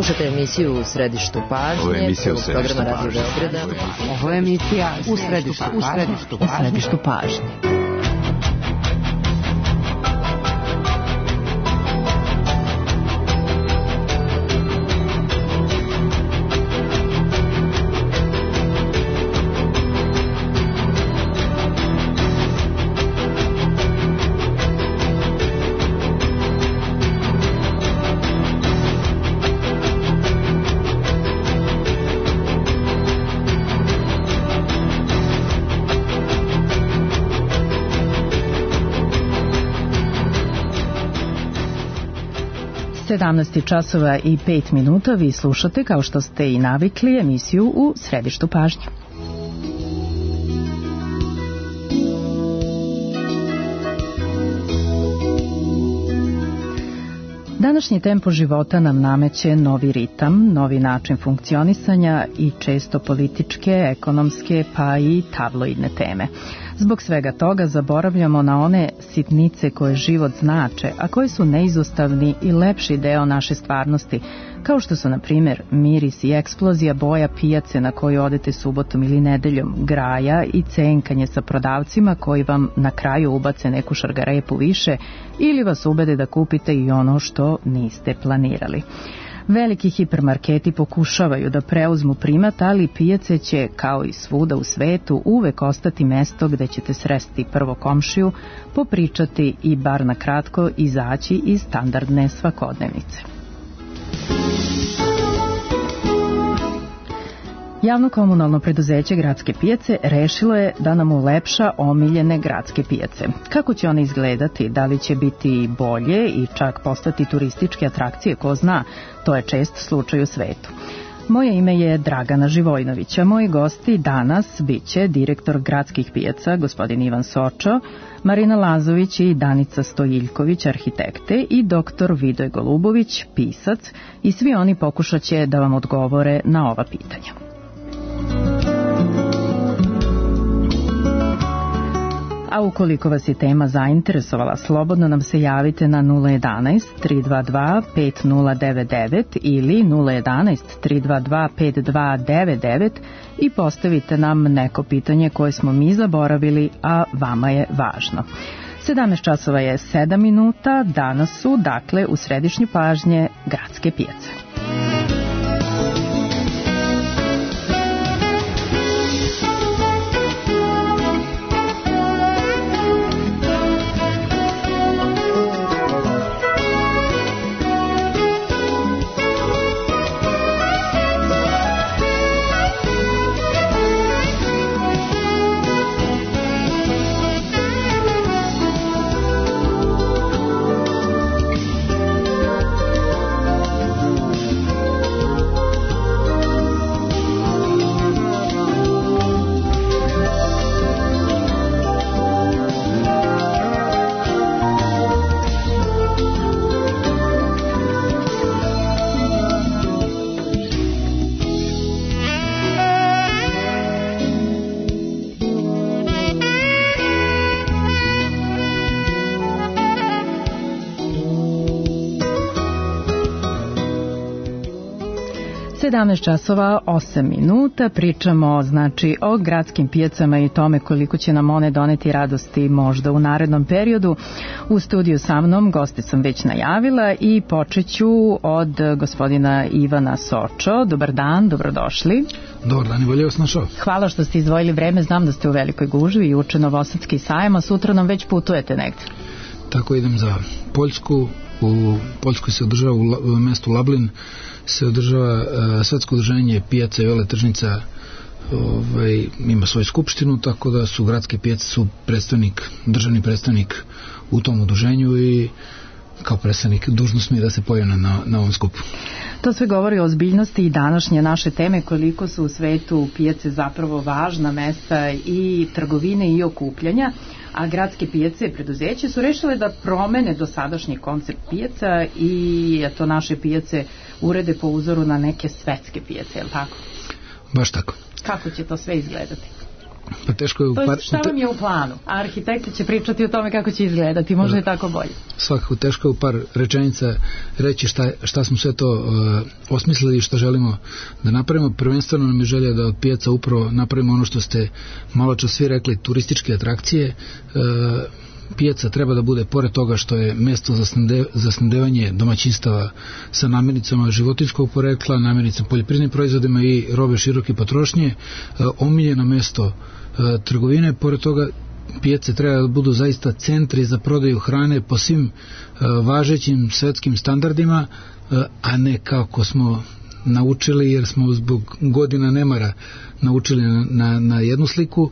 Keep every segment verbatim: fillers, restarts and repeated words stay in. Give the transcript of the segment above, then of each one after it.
Slušate emisiju U središtu pažnje. Ovo je emisija U središtu programa Radio Beograda. Ovo je emisija U središtu pažnje. U središtu pažnje. sedamnaest časova i pet minuta, vi slušate, kao što ste i navikli, emisiju U središtu pažnje. Današnji tempo života nam nameće novi ritam, novi način funkcionisanja i često političke, ekonomske pa i tabloidne teme. Zbog svega toga zaboravljamo na one sitnice koje život znače, a koji su neizostavni i lepši deo naše stvarnosti, kao što su, na primjer, miris i eksplozija boja pijace na koju odete subotom ili nedeljom, graja i cenkanje sa prodavcima koji vam na kraju ubace neku šargarepu više ili vas ubede da kupite i ono što niste planirali. Veliki hipermarketi pokušavaju da preuzmu primat, ali pijace će, kao i svuda u svetu, uvek ostati mesto gde ćete sresti prvo komšiju, popričati i bar na kratko izaći iz standardne svakodnevnice. Javno komunalno preduzeće Gradske pijace rešilo je da nam ulepša omiljene gradske pijace. Kako će one izgledati, da li će biti bolje i čak postati turističke atrakcije, ko zna, to je čest slučaj u svetu. Moje ime je Dragana Živojnović, a moji gosti danas biće direktor Gradskih pijaca, gospodin Ivan Sočo, Marina Lazović i Danica Stojiljković, arhitekte, i doktor Vidoj Golubović, pisac, i svi oni pokušat će da vam odgovore na ova pitanja. A ukoliko vas je tema zainteresovala, slobodno nam se javite na nula jedanaest tri dva dva pet nula devet devet ili nula jedanaest tri dva dva pet dva devet devet i postavite nam neko pitanje koje smo mi zaboravili, a vama je važno. sedamnaest časova je sedam minuta, danas su, dakle, u središnju pažnje Gradske pijace. sedamnaest časova osam minuta, pričamo znači o gradskim pijacama i tome koliko će nam one doneti radosti možda u narednom periodu. U studiju sa mnom goste sam već najavila i počeću od gospodina Ivana Sočo. Dobar dan, dobrodošli. Dobar dan i bolje vas našao. Hvala što ste izdvojili vreme, znam da ste u Velikoj gužvi i uče Novosadski sajam, a sutra nam već putujete negde. Tako, idem za Poljsku. U Poljskoj se održava u mestu Lablin se održava uh, svetsko udruženje pijaca i veletržnica, ovaj, ima svoju skupštinu, tako da su gradske pijace su predstavnik, državni predstavnik u tom udruženju i kao predstavnik dužnost mi je da se pojavim na, na ovom skupu. To sve govori o ozbiljnosti i današnje naše teme, koliko su u svetu pijace zapravo važna mesta i trgovine i okupljanja, a gradske pijace i preduzeće su rešile da promene dosadašnji koncept pijaca i to naše pijace urede po uzoru na neke svetske pijace, je li tako? Baš tako. Kako će to sve izgledati? Pa teško je u par... par... šta vam je u planu? A arhitekti će pričati o tome kako će izgledati, možda je tako bolje. Svakako teško je u par rečenica reći šta, šta smo sve to uh, osmislili i šta želimo da napravimo. Prvenstveno nam je želja da od pijaca upravo napravimo ono što ste malo čas svi rekli, turističke atrakcije. Uh, pijaca treba da bude, pored toga što je mesto za, snabde, za snabdevanje domaćinstava sa namirnicama životinjskog porekla, namirnicama poljoprivrednim proizvodima i robe široke potrošnje, uh, omiljeno mesto uh, trgovine. Pored toga pijace treba da budu zaista centri za prodaju hrane po svim uh, važećim svetskim standardima, uh, a ne kako smo naučili, jer smo zbog godina nemara naučili na, na, na jednu sliku. Uh,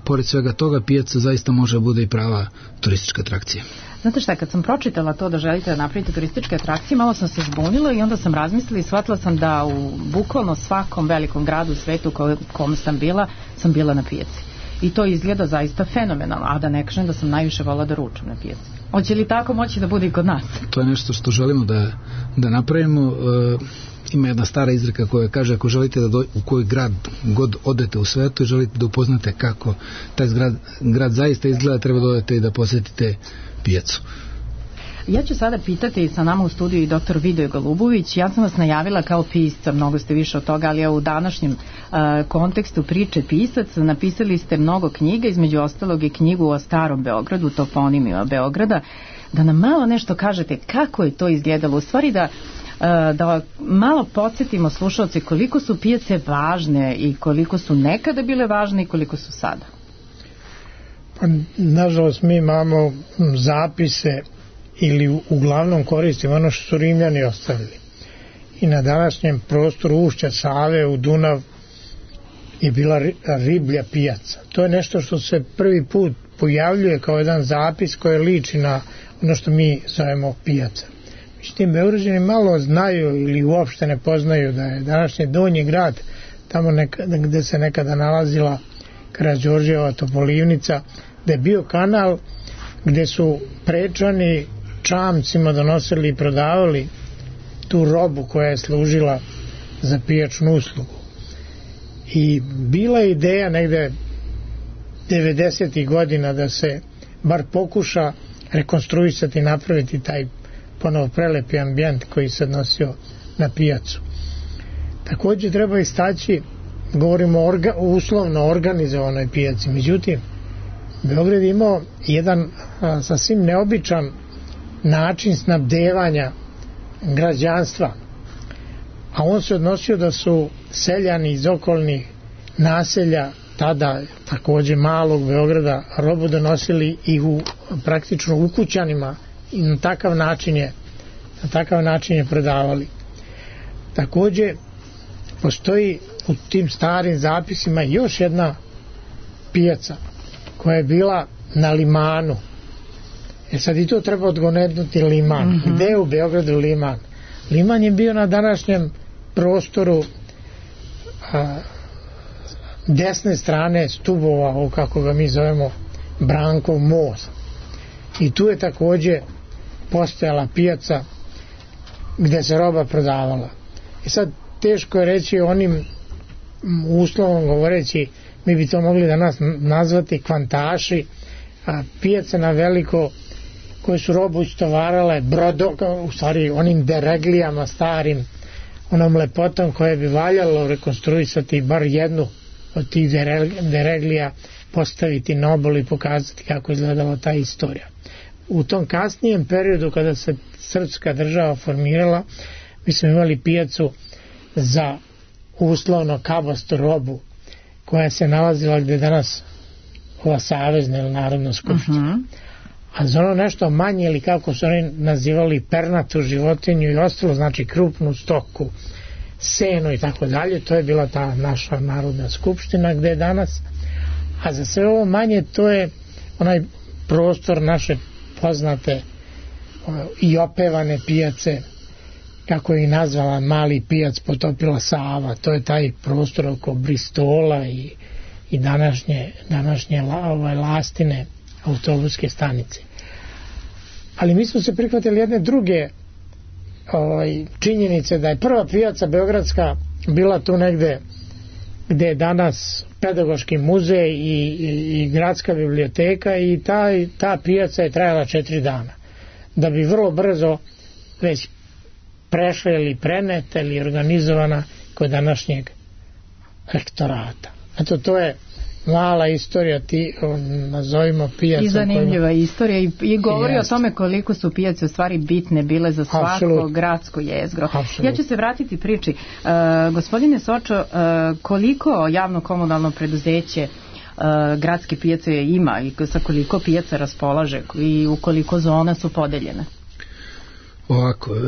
pored svega toga, pijaca zaista može da bude i prava turistička atrakcija. Znate šta, kad sam pročitala to da želite da napravite turističke atrakcije, malo sam se zbunila i onda sam razmislila i shvatila sam da u bukvalno svakom velikom gradu u svetu u kom sam bila, sam bila na pijaci. I to izgleda zaista fenomenalno, a da ne kažem da sam najviše volila da ručam na pijaci. Hoće li tako moći da bude i kod nas? To je nešto što želimo da, da napravimo. E, ima jedna stara izreka koja kaže, ako želite da do, u koji grad god odete u svetu i želite da upoznate kako taj grad, grad zaista izgleda, treba da odete i da posjetite pijacu. Ja ću sada pitati, sa nama u studiju i doktor Vidoje Golubović. Ja sam vas najavila kao pisca, mnogo ste više od toga, ali u današnjem uh, kontekstu priče pisac. Napisali ste mnogo knjiga, između ostalog i knjigu o starom Beogradu, toponimima Beograda. Da nam malo nešto kažete kako je to izgledalo, u stvari da da malo podsjetimo slušalce koliko su pijace važne i koliko su nekada bile važne i koliko su sada. Pa, nažalost, mi imamo zapise ili uglavnom koristimo ono što su Rimljani ostavili. I na današnjem prostoru ušća Save u Dunav je bila riblja pijaca. To je nešto što se prvi put pojavljuje kao jedan zapis koji liči na ono što mi zovemo pijaca. Međutim, Beograđani malo znaju ili uopšte ne poznaju da je današnji Donji grad, tamo nekada, gde se nekada nalazila Karađorđeva Topolivnica, da je bio kanal gde su prečani čamcima donosili i prodavali tu robu koja je služila za pijačnu uslugu. I bila je ideja negde devedesetih godina da se bar pokuša rekonstruisati i napraviti taj ponovo prelepi ambijent koji se odnosio na pijacu. Također treba istaći, govorimo o orga, uslovno organizovanoj pijaci, međutim Beograd je imao jedan a, sasvim neobičan način snabdevanja građanstva, a on se odnosio da su seljani iz okolnih naselja, tada također malog Beograda, robu donosili i u praktično ukućanima i na takav način je na takav način je prodavali. Također postoji u tim starim zapisima još jedna pijaca koja je bila na Limanu. E sad i to treba odgonetnuti Liman. Mm-hmm. Gde je u Beogradu Liman? Liman je bio na današnjem prostoru a, desne strane Stubova, kako ga mi zovemo, Brankov most. I tu je također postojala pijaca gde se roba prodavala. I sad teško je reći onim uslovom govoreći, mi bi to mogli danas nazvati kvantaši, a pijace na veliko koje su robu istovarale brodo, u stvari onim dereglijama starim, onom lepotom koje bi valjalo rekonstruisati bar jednu od tih dereglija, postaviti na obolu i pokazati kako izgledala ta istorija. U tom kasnijem periodu kada se srpska država formirala, mi smo imali pijacu za uslovno kabastu robu koja se nalazila gde danas ova savezna ili narodna skupština. Uh-huh. A za ono nešto manje ili kako su oni nazivali pernatu životinju i ostalo, znači krupnu stoku, seno i tako dalje, to je bila ta naša narodna skupština gde je danas. A za sve ovo manje to je onaj prostor naše poznate i opevane pijace, kako je i nazvala Mali pijac potopila Sava. To je taj prostor oko Bristola i, i današnje, današnje ovaj, Lastine autobuske stanice. Ali mi smo se prihvatili jedne druge ovaj, činjenice da je prva pijaca beogradska bila tu negde gde je danas pedagoški muzej i, i, i gradska biblioteka i ta, ta pijaca je trajala četiri dana. Da bi vrlo brzo već prešla ili preneta ili organizovana kod današnjeg rektorata. Eto, to je mala istorija, ti nazovimo pijaca. I zanimljiva kojima... istorija i, i govori Jest. o tome koliko su pijace u stvari bitne bile za svako Absolut. gradsko jezgro. Absolut. Ja ću se vratiti priči. Uh, gospodine Sočo, uh, koliko javno-komunalno preduzeće uh, gradske pijace ima i sa koliko pijaca raspolaže i u koliko zona su podeljene? Ovako, uh,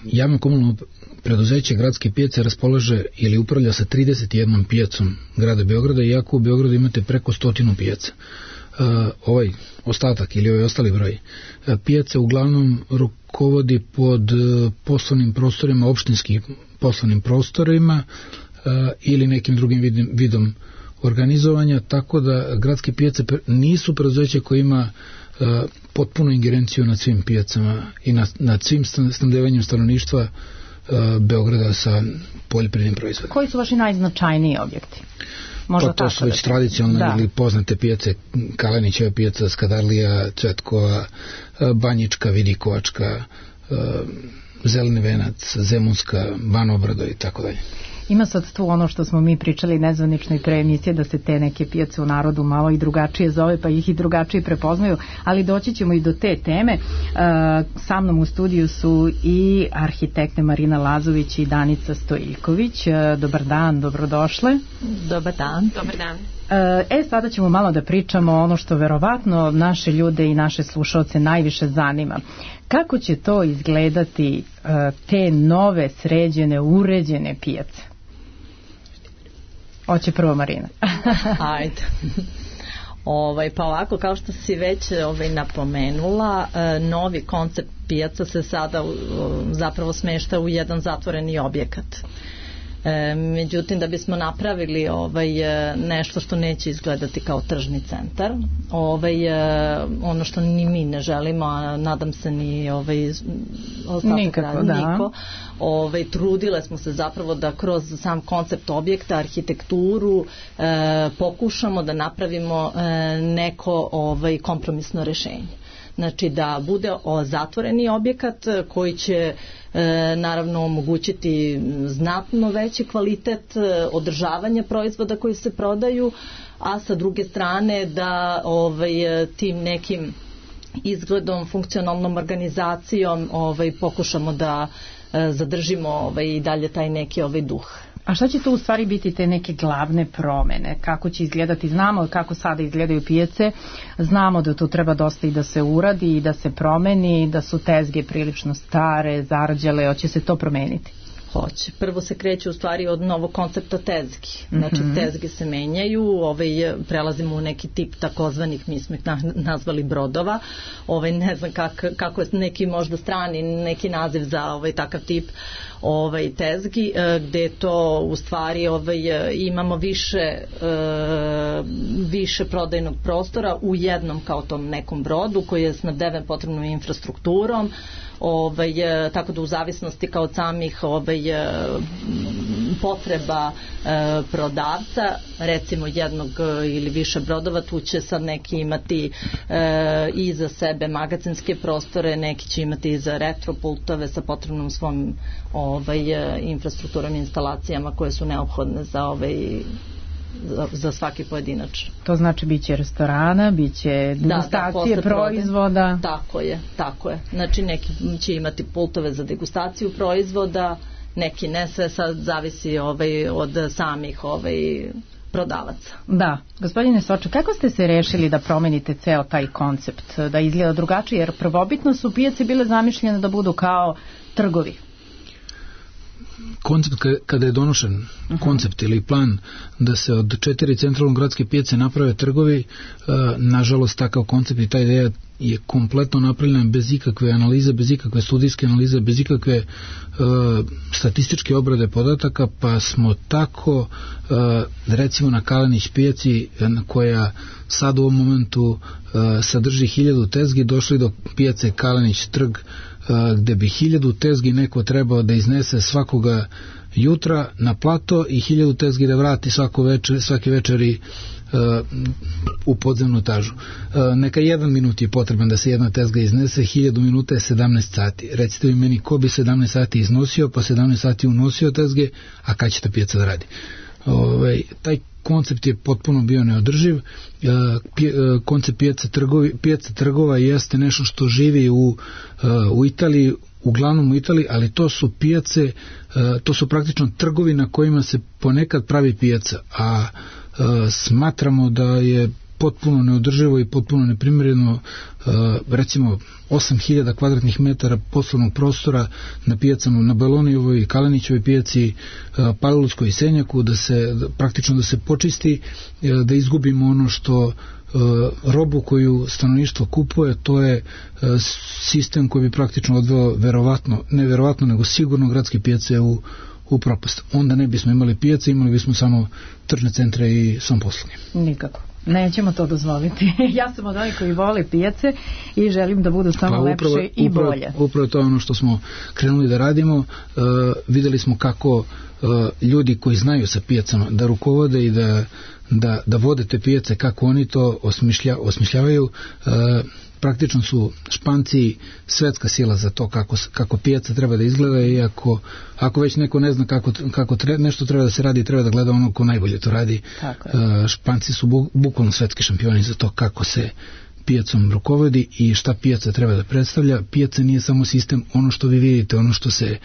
javno-komunalno preduzeće gradske pijace raspolaže ili upravlja sa trideset jednom pijacom grada Beograda, iako u Beogradu imate preko stotinu pijaca. Uh, ovaj ostatak ili ovaj ostali broj uh, pijace uglavnom rukovodi pod uh, poslovnim prostorima, opštinskim poslovnim prostorima uh, ili nekim drugim vidim, vidom organizovanja, tako da gradske pijace nisu preduzeće koje ima uh, potpunu ingerenciju nad svim pijacama i nad, nad svim snabdevanjem stanovništva Beograda sa poljoprivrednim proizvodima. Koji su vaši najznačajniji objekti? Možda pa to su već tradicionalne ili poznate pijace, Kalenićeva pijaca, Skadarlija, Cvetkova, Banjička, Vidikovačka, Zeleni venac, Zemunska, Banobrado i tako dalje. Ima sad tu ono što smo mi pričali nezvanično i pre emisije, da se te neke pijace u narodu malo i drugačije zove, pa ih i drugačije prepoznaju, ali doći ćemo i do te teme. Sa mnom u studiju su i arhitekte Marina Lazović i Danica Stojiljković. Dobar dan, dobrodošle. Dobar dan. Dobar dan. E, sada ćemo malo da pričamo ono što verovatno naše ljude i naše slušalce najviše zanima. Kako će to izgledati te nove, sređene, uređene pijace? Hoće prvo Marina. Ajde. Ovaj, pa ovako, kao što si već ovaj, napomenula, novi koncept pijaca se sada zapravo smešta u jedan zatvoreni objekat. E, međutim, da bismo napravili ovaj, nešto što neće izgledati kao tržni centar, ovaj, ono što ni mi ne želimo, a nadam se ni ovaj, nikako, da. niko, ovaj, trudile smo se zapravo da kroz sam koncept objekta, arhitekturu, e, pokušamo da napravimo e, neko ovaj, kompromisno rešenje. Znači da bude zatvoreni objekat koji će e, naravno omogućiti znatno veći kvalitet e, održavanja proizvoda koji se prodaju, a sa druge strane da ovaj, tim nekim izgledom, funkcionalnom organizacijom ovaj, pokušamo da e, zadržimo ovaj, i dalje taj neki ovaj duh. A šta će to u stvari biti te neke glavne promene? Kako će izgledati? Znamo kako sada izgledaju pijace, znamo da tu treba dosta i da se uradi i da se promeni, da su tezge prilično stare, zarđale, hoće se to promeniti? Hoće. Prvo se kreće u stvari od novog koncepta tezgi. Znači mm-hmm. tezge se menjaju, ovaj, prelazimo u neki tip takozvanih, mi smo ih nazvali brodova, ovaj, ne znam kak, kako je neki možda strani neki naziv za ovaj, takav tip ovaj, tezgi, gde to u stvari ovaj, imamo više, više prodajnog prostora u jednom kao tom nekom brodu koji je snabdeven potrebnom infrastrukturom. Ovaj, tako da u zavisnosti kao od samih ovaj, potreba e, prodavca, recimo jednog ili više brodova, tu će sad neki imati e, i za sebe magacinske prostore, neki će imati i za retropultove sa potrebnom svom ovaj, infrastrukturom i instalacijama koje su neophodne za ovaj Za, za svaki pojedinač. To znači biće restorana, biće degustacije da, da, proizvoda. Tako je, tako je. Znači neki će imati pultove za degustaciju proizvoda, neki ne, sve sad zavisi ovaj, od samih ovaj, prodavaca. Da, gospodine Sočo, kako ste se rešili da promenite ceo taj koncept, da izgleda drugačije, jer prvobitno su pijace bile zamišljene da budu kao trgovi? Koncept kada je donošen, uh-huh. koncept ili plan da se od četiri centralno gradske pijace naprave trgovi, nažalost takav koncept i ta ideja je kompletno napravljena bez ikakve analize, bez ikakve studijske analize, bez ikakve uh, statističke obrade podataka, pa smo tako uh, recimo na Kalenić pijaci koja sad u ovom momentu uh, sadrži hiljadu tezgi, došli do pijace Kalenić trg uh, gde bi hiljadu tezgi neko trebao da iznese svakoga jutra na plato i hiljadu tezgi da vrati svako večer, svake večeri uh, u podzemnu etažu. Uh, neka jedan minut je potreban da se jedna tezga iznese, hiljadu minuta je sedamnaest sati. Recite mi meni ko bi sedamnaest sati iznosio, pa sedamnaest sati unosio tezge, a kad će ta pijaca da radi? Ovaj, taj koncept je potpuno bio neodrživ. Uh, pije, uh, koncept pijaca, trgovi, pijaca trgova jeste nešto što živi u, uh, u Italiji, uglavnom u Italiji, ali to su pijace, to su praktično trgovi na kojima se ponekad pravi pijaca, a smatramo da je potpuno neodrživo i potpuno neprimjereno recimo osam hiljada kvadratnih metara poslovnog prostora na pijacama, na Belonijevoj i Kalenićevoj pijaci, Palilulskoj i Senjaku, da se praktično da se počisti, da izgubimo ono što robu koju stanovništvo kupuje, to je sistem koji bi praktično odveo verovatno, ne verovatno, nego sigurno gradske pijace u, u propast. Onda ne bismo imali pijace, imali bismo samo tržne centre i samoposluge. Nikako. Nećemo to dozvoliti. Ja sam od onih koji vole pijace i želim da budu samo pa, upravo, lepše i upravo, bolje. Upravo to je ono što smo krenuli da radimo. Uh, videli smo kako uh, ljudi koji znaju sa pijacama da rukovode i da, da, da vode te pijace, kako oni to osmišlja, osmišljavaju. Uh, praktično su Španci svetska sila za to kako, kako pijaca treba da izgleda, i ako, ako već neko ne zna kako, kako tre, nešto treba da se radi, treba da gleda ono ko najbolje to radi. Uh, Španci su bu, bukvalno svetski šampioni za to kako se pijacom rukovodi i šta pijaca treba da predstavlja. Pijaca nije samo sistem, ono što vi vidite, ono što se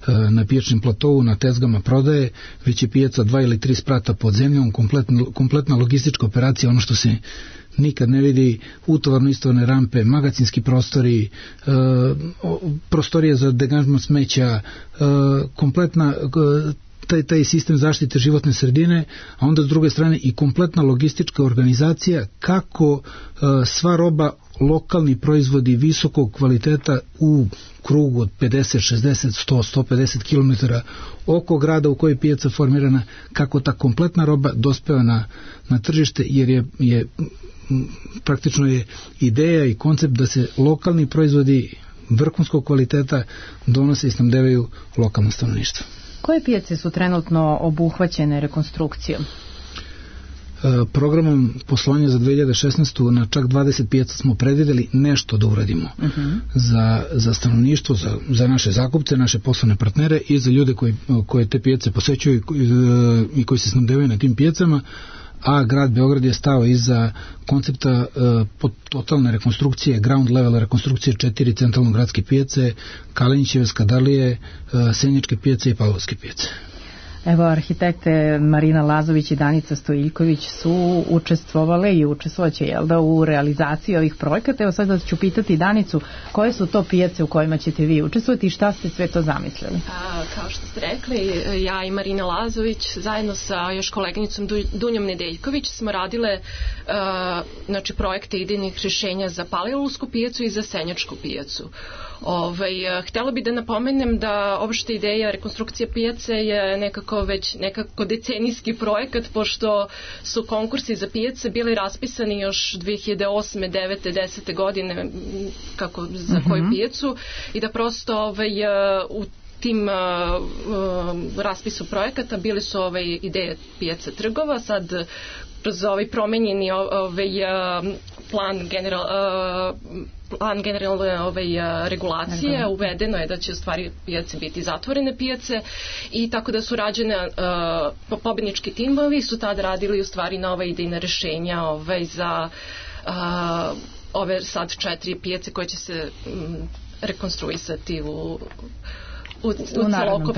uh, na pijačnim platovu, na tezgama prodaje, već je pijaca dva ili tri sprata pod zemljom, kompletna, kompletna logistička operacija, ono što se nikad ne vidi, utovarno-istovarne rampe, magacinski prostori, e, prostorije za deganžman smeća, e, kompletna e, taj, taj sistem zaštite životne sredine, a onda s druge strane i kompletna logistička organizacija kako e, sva roba, lokalni proizvodi visokog kvaliteta u krugu od pedeset, šezdeset, sto, sto pedeset kilometara oko grada u kojoj je pijaca formirana, kako ta kompletna roba dospeva na, na tržište, jer je, je praktično je ideja i koncept da se lokalni proizvodi vrhunskog kvaliteta donose i snabdevaju lokalno stanovništvo. Koje pijace su trenutno obuhvaćene rekonstrukcijom? Programom poslovanja za dve hiljade šesnaestu na čak dvadeset pijaca smo predvideli nešto da uradimo uh-huh. za, za stanovništvo, za, za naše zakupce, naše poslovne partnere i za ljude koji, koje te pijace posećuju i, i koji se snabdevaju na tim pijacama, a grad Beograd je stao iza koncepta uh, totalne rekonstrukcije, ground level rekonstrukcije četiri centralno gradske pijace, Kalenićeve, Skadarlije, uh, Senjačke pijace i Pavlovske pijace. Evo, arhitekte Marina Lazović i Danica Stojiljković su učestvovale i učestvovaće, jel da, u realizaciji ovih projekata. Evo sad da ću pitati Danicu, koje su to pijace u kojima ćete vi učestvovati i šta ste sve to zamislili? A, kao što ste rekli, ja i Marina Lazović zajedno sa još koleginicom Dunjom Nedeljković smo radile a, znači, projekte idejnih rješenja za Palilulsku pijacu i za Senjačku pijacu. Ovaj, htjela bi da napomenem da opšta ideja rekonstrukcije pijace je nekako već nekako decenijski projekat, pošto su konkursi za pijace bili raspisani još dve hiljade osme, devete, desete godine kako, za uh-huh. koju pijacu, i da prosto ovaj, u tim uh, uh, raspisu projekata bili su ove ideje pijace trgova. Sad kroz ovaj promenjeni ovaj plan general uh, plan generalne ovaj, regulacije uvedeno je da će u stvari pijace biti zatvorene pijace, i tako da su rađene uh, pobednički timovi su tad radili u stvari nova idejna rešenja ovaj, za uh, ove sad četiri pijace koje će se um, rekonstruisati u u, u narednom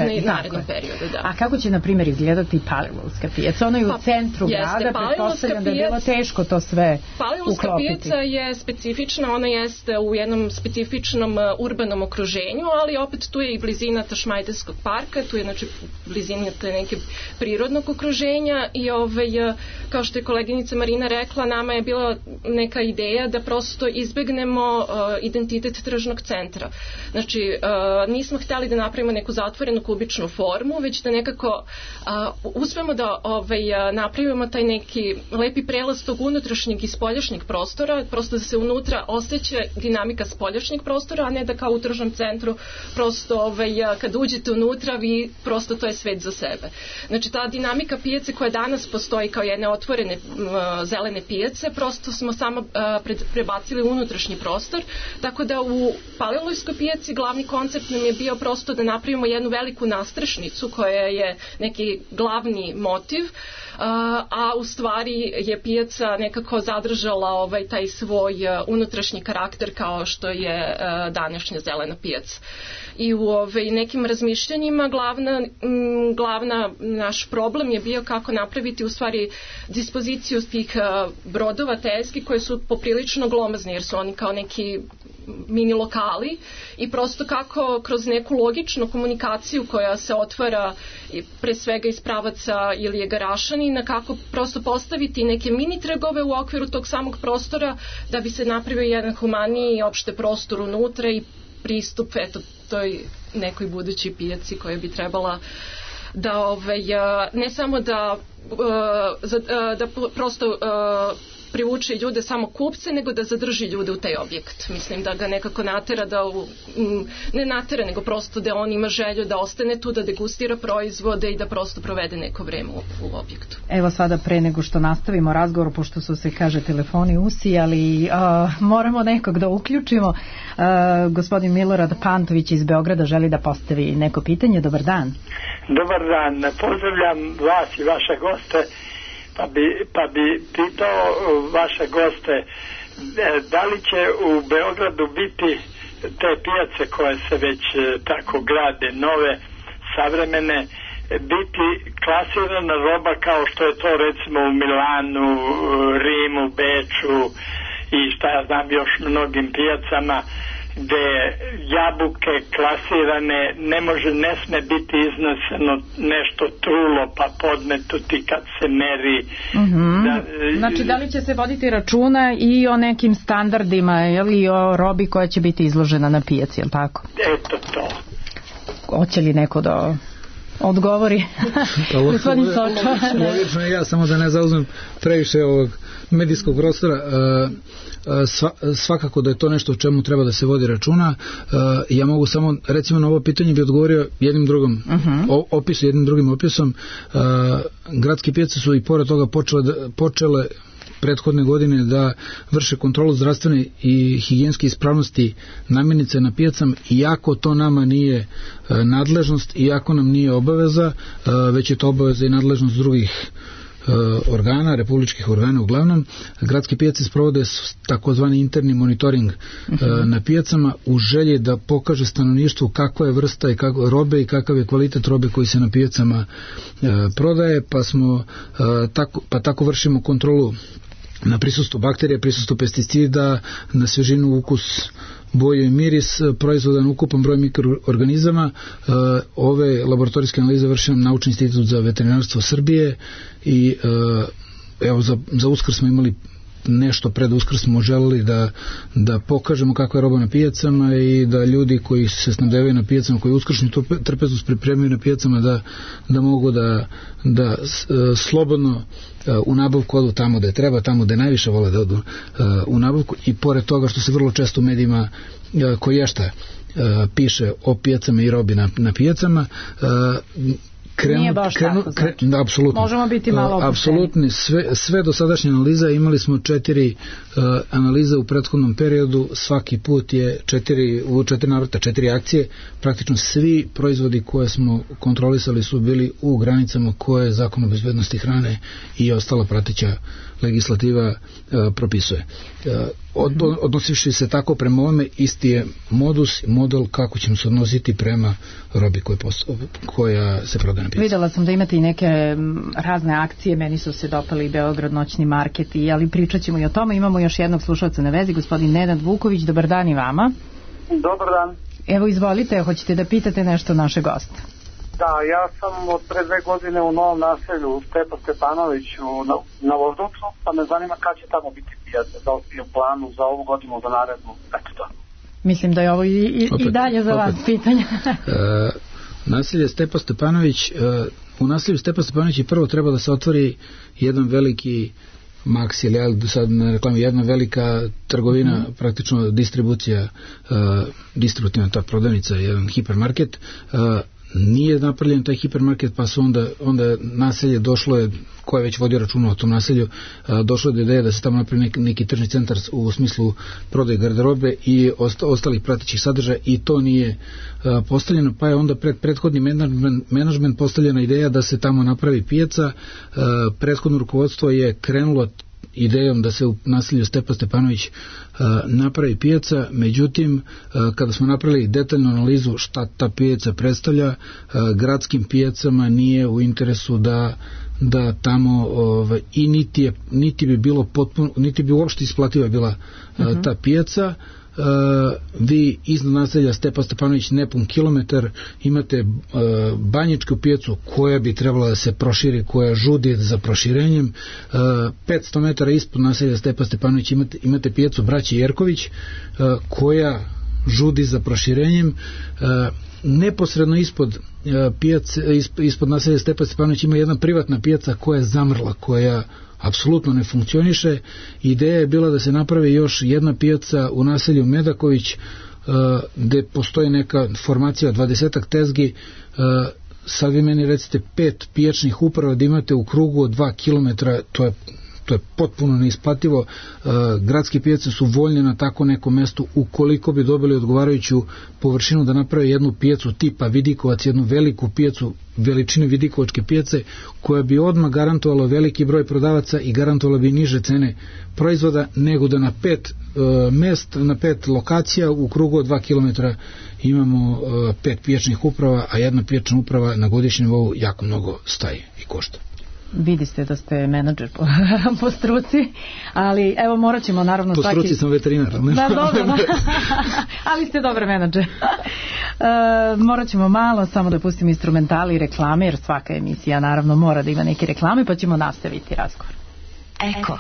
periodu. Da. A kako će, na primjer, izgledati Palilulska pijaca? Ona je u pa, centru jeste, grada, pretpostavljam da je bilo teško to sve Palilulska uklopiti. Pijaca je specifična, ona jeste u jednom specifičnom urbanom okruženju, ali opet tu je i blizina Tašmajdanskog parka, tu je znači blizina te neke prirodnog okruženja, i ovaj, kao što je koleginica Marina rekla, nama je bila neka ideja da prosto izbegnemo uh, identitet tržnog centra. Znači, uh, nismo hteli da napravimo napravimo neku zatvorenu kubičnu formu, već da nekako a, uspemo da ovaj, a, napravimo taj neki lepi prelaz tog unutrašnjeg i spoljašnjeg prostora, prosto da se unutra osjeća dinamika spoljašnjeg prostora, a ne da kao u tržnom centru prosto ovaj, a, kad uđete unutra vi prosto to je svet za sebe. Znači ta dinamika pijace koja danas postoji kao jedne otvorene a, zelene pijace, prosto smo samo a, pred, prebacili u unutrašnji prostor, tako da u Palilulskoj pijaci glavni koncept nam je bio prosto da napravimo jednu veliku nastrešnicu koja je neki glavni motiv, a u stvari je pijaca nekako zadržala ovaj taj svoj unutrašnji karakter kao što je današnja zelena pijaca. I u ovaj, nekim razmišljanjima glavna, m, glavna naš problem je bio kako napraviti u stvari dispoziciju tih brodova tezgi koje su poprilično glomazni jer su oni kao neki mini lokali i prosto kako kroz neku logičnu komunikaciju koja se otvara pre svega iz pravaca Ilije Garašanina, kako prosto postaviti neke mini trgove u okviru tog samog prostora da bi se napravio jedan humaniji opšte prostor unutra i pristup eto toj nekoj budućoj pijaci koja bi trebala da ovaj, ne samo da, da prosto privuče ljude samo kupce, nego da zadrži ljude u taj objekt. Mislim da ga nekako natera da, u, ne natera, nego prosto da on ima želju da ostane tu, da degustira proizvode i da prosto provede neko vreme u, u objektu. Evo sada pre nego što nastavimo razgovor, pošto su se, kaže, telefoni usijali, uh, moramo nekog da uključimo. Uh, gospodin Milorad Pantović iz Beograda želi da postavi neko pitanje. Dobar dan. Dobar dan. Pozdravljam vas i vaše goste. Pa bi, pa bi pitao vaše goste, da li će u Beogradu biti te pijace koje se već tako grade, nove, savremene, biti klasirana roba kao što je to recimo u Milanu, Rimu, Beču i šta ja znam još mnogim pijacama, gde jabuke klasirane ne može, ne sme biti izneseno nešto trulo pa podmetuti kad se meri. Mm-hmm. Da, znači da li će se voditi računa i o nekim standardima ili o robi koja će biti izložena na pijaci, je li tako? Eto to. Hoće li neko da odgovori? Gospodin Sočo. Logično je, ja samo da ne zauzmem previše ovog medijskog prostora. Sva, svakako da je to nešto o čemu treba da se vodi računa. Ja mogu samo, recimo na ovo pitanje bi odgovorio jednim drugim uh-huh. opisom, jednim drugim opisom. Gradske pijace su i pored toga počele, počele prethodne godine da vrše kontrolu zdravstvene i higijenske ispravnosti namirnica na pijacama, iako to nama nije nadležnost, iako nam nije obaveza, već je to obaveza i nadležnost drugih organa, republičkih organa uglavnom. Gradske pijace sprovode takozvani interni monitoring uh-huh. na pijacama u želji da pokaže stanovništvu kakva je vrsta i kako, robe i kakav je kvalitet robe koji se na pijacama uh, prodaje, pa smo uh, tako, pa tako vršimo kontrolu na prisustvo bakterija, prisustvo pesticida, na svežinu, ukus, boju i miris, proizvodan ukupan broj mikroorganizama. Ove laboratorijske analize vrši nam Naučni institut za veterinarstvo Srbije i evo za, za Uskrs smo imali nešto pred Uskrs smo želeli da, da pokažemo kakva je roba na pijacama i da ljudi koji se snabdevaju na pijacama, koji uskršnju trpezu pripremaju na pijacama da, da mogu da, da slobodno u nabavku odu tamo da je treba, tamo da je najviše vole da odu u nabavku i pored toga što se vrlo često u medijima koješta piše o pijacama i robi na, na pijacama, Krenu, nije baš krenu, tako, znači. Kre, apsolutno. Možemo biti malo opušteni. Apsolutno, sve, sve dosadašnje analiza, imali smo četiri uh, analize u prethodnom periodu, svaki put je četiri, u četiri navrata, četiri akcije, praktično svi proizvodi koje smo kontrolisali su bili u granicama koje Zakon o bezbednosti hrane i ostala prateća legislativa uh, propisuje. Uh, od, odnosivši se tako prema ovome, isti je modus i model kako ćemo se odnositi prema robi koja, posto, koja se prodaje na pijaci. Videla sam da imate i neke razne akcije, meni su se dopali Beograd noćni market, i, ali pričat ćemo i o tome. Imamo još jednog slušalca na vezi, gospodin Nenad Vuković. Dobar dan i vama. Dobar dan. Evo, izvolite, hoćete da pitate nešto naše goste? Da, ja sam od pre dve godine u Novom naselju Stepa Stepanović u, na, na Voždovcu, pa me zanima kada će tamo biti pijaca, da li je u planu za ovu godinu, za narednu, eto to. Mislim da je ovo i, i, opet, i dalje za opet. Vas pitanje. e, Naselje Stepa Stepanović, u naselju Stepa Stepanović prvo treba da se otvori jedan veliki Max ili ja sad ne reklamu, jedna velika trgovina, mm. praktično distribucija, uh, distributivna ta prodavnica, jedan hipermarket, uh, nije napravljen taj hipermarket, pa su onda, onda naselje došlo je, ko je već vodio računa o tom naselju, a, došlo je do ideje da se tamo napravi neki, neki tržni centar u smislu prodaje garderobe i osta, ostalih pratećih sadržaja i to nije a, postavljeno, pa je onda pred prethodni menadžment, menadžment postavljena ideja da se tamo napravi pijaca. A, prethodno rukovodstvo je krenulo idejom da se u naselju Stepa Stepanović a, napravi pijaca, međutim a, kada smo napravili detaljnu analizu šta ta pijaca predstavlja, a, gradskim pijacama nije u interesu da da tamo ovaj, i niti, je, niti bi bilo potpuno, niti bi uopšte isplativa bila uh-huh. a, ta pijaca. Uh, vi iznad naselja Stepa Stepanović nepun kilometar imate uh, banjičku pijacu koja bi trebala da se proširi, koja žudi za proširenjem. uh, petsto metara ispod naselja Stepa Stepanović imate, imate pijacu braće Jerković uh, koja žudi za proširenjem. uh, neposredno ispod uh, pijace, ispod, ispod naselja Stepa Stepanović ima jedna privatna pijaca koja je zamrla, koja apsolutno ne funkcioniše. Ideja je bila da se napravi još jedna pijaca u naselju Medaković uh, gde postoji neka formacija dvadesetak tezgi. Uh, sad vi meni recite pet pijačnih uprava da imate u krugu od dva kilometra, to je to je potpuno neisplativo. Uh, gradske pijace su voljne na tako nekom mestu ukoliko bi dobili odgovarajuću površinu da naprave jednu pijacu tipa Vidikovac, jednu veliku pijacu veličine Vidikovačke pijace koja bi odmah garantovala veliki broj prodavaca i garantovala bi niže cene proizvoda nego da na pet uh, mest, na pet lokacija u krugu od dva kilometra imamo uh, pet pijačnih uprava, a jedna pijačna uprava na godišnjem nivou jako mnogo staje i košta. Vidi ste da ste menadžer po, po struci, ali evo morat ćemo naravno po svaki... Po struci sam veterinar. Ne? Da, dobro, da. Ali ste dobar menadžer. E, morat ćemo malo samo da pustimo instrumentali i reklame, jer svaka emisija naravno mora da ima neke reklame, pa ćemo nastaviti razgovor. Eko.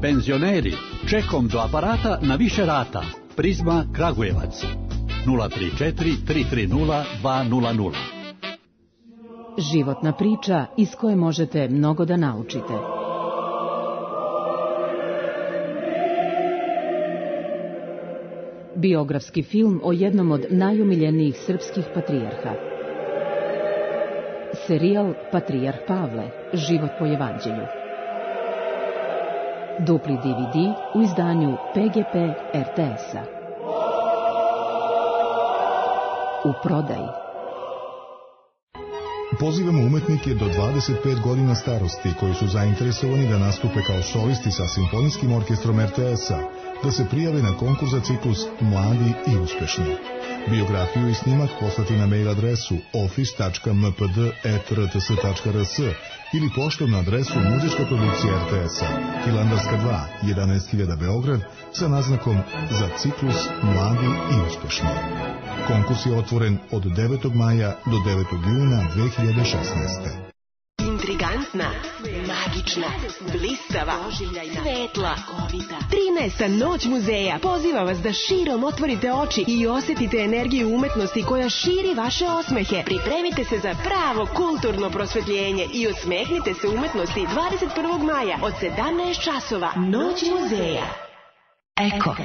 Penzioneri, čekom do aparata na više rata. Prizma Kragujevac. nula tri četiri tri tri nula dva nula nula. Životna priča iz koje možete mnogo da naučite. Biografski film o jednom od najomiljenijih srpskih patrijarha. Serijal Patrijarh Pavle, život po evanđelju. Dupli D V D u izdanju P G P R T S-a. U prodaji. Pozivamo umetnike do dvadeset pet godina starosti koji su zainteresovani da nastupe kao solisti sa Simfonijskim orkestrom R T S-a, da se prijave na konkurs za ciklus Mladi i uspešni. Biografiju i snimak poslati na mail adresu office tačka m p d at r t s tačka r s ili poštom na adresu muzička produkcija R T S-a, Hilandarska dva, jedanaest hiljada Beograd, sa naznakom za ciklus Mladi i uspešni. Konkurs je otvoren od devetog maja do devetog juna dve hiljade šesnaeste. Intrigantna, magična, blistava, svetla, trinaesta noć muzeja poziva vas da širom otvorite oči i osetite energiju umetnosti koja širi vaše osmehe. Pripremite se za pravo kulturno prosvetljenje i osmehnite se umetnosti dvadeset prvog maja od sedamnaest časova. Noć muzeja. Eko.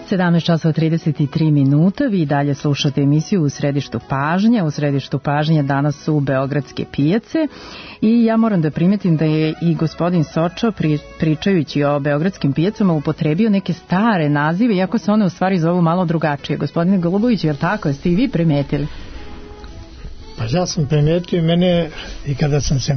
sedamnaest časova trideset tri minuta, vi dalje slušate emisiju U središtu pažnje. U središtu pažnje danas su beogradske pijace i ja moram da primetim da je i gospodin Sočo pri, pričajući o beogradskim pijacama upotrebio neke stare nazive, iako se one u stvari zovu malo drugačije. Gospodine Golubović, je li tako? Jeste i vi primetili? Pa ja sam primetio i mene i kada sam se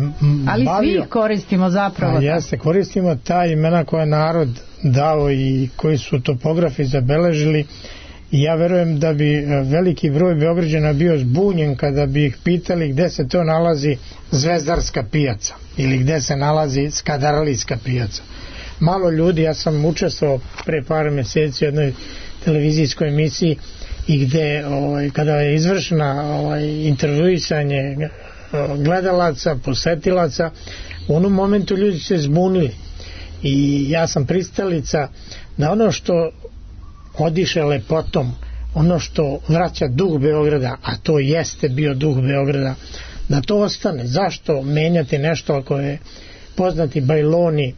ali bavio... Ali svi koristimo zapravo. A jeste, koristimo ta imena koje narod dao i koji su topografi zabeležili i ja verujem da bi veliki broj Beograđana bio zbunjen kada bi ih pitali gde se to nalazi Zvezdarska pijaca ili gde se nalazi Skadalijska pijaca. malo ljudi, ja sam učestvovao pre par mjeseci u jednoj televizijskoj emisiji i gde ovaj, kada je izvršena ovaj, intervjuisanje gledalaca, posetilaca, u onom momentu ljudi se zbunili i ja sam pristalica da ono što odiše lepotom, ono što vraća duh Beograda, a to jeste bio duh Beograda, da to ostane. Zašto menjati nešto ako je poznati Bajloni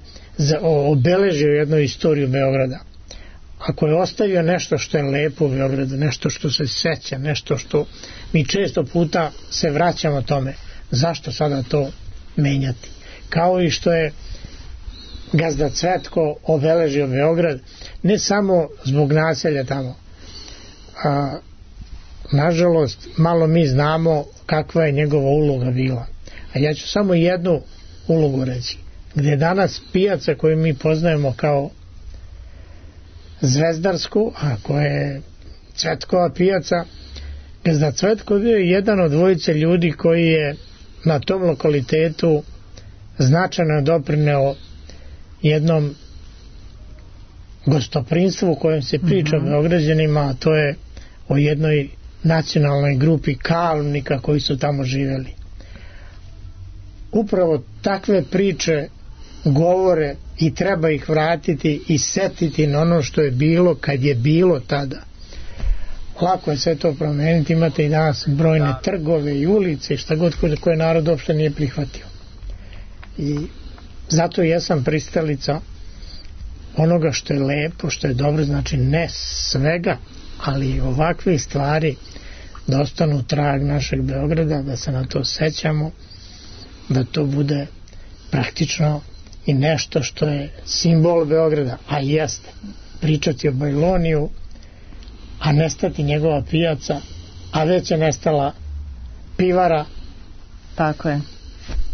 obeležio jednu istoriju Beograda? Ako je ostavio nešto što je lepo u Beogradu, nešto što se seća, nešto što mi često puta se vraćamo tome, zašto sada to menjati? Kao i što je gazda Cvetko obeležio Beograd, ne samo zbog naselja tamo. A, nažalost, malo mi znamo kakva je njegova uloga bila. A ja ću samo jednu ulogu reći. Gde je danas pijaca koju mi poznajemo kao Zvezdarsku, a koja je Cvetkova pijaca, gazda Cvetko bio je jedan od dvojice ljudi koji je na tom lokalitetu značajno doprineo jednom gostoprinstvu u kojem se priča mm-hmm. o Beograđanima, a to je o jednoj nacionalnoj grupi kalnika koji su tamo živjeli. Upravo takve priče govore i treba ih vratiti i setiti na ono što je bilo kad je bilo tada. Lako je sve to promeniti, imate i danas brojne da. trgove i ulice, šta god koje narod uopšte nije prihvatio. I zato jesam pristalica onoga što je lepo, što je dobro, znači ne svega, ali ovakve stvari da ostanu trag našeg Beograda, da se na to sećamo, da to bude praktično i nešto što je simbol Beograda, a jeste pričati o Bajloniju, a nestati njegova pijaca, a već je nestala pivara. Tako je.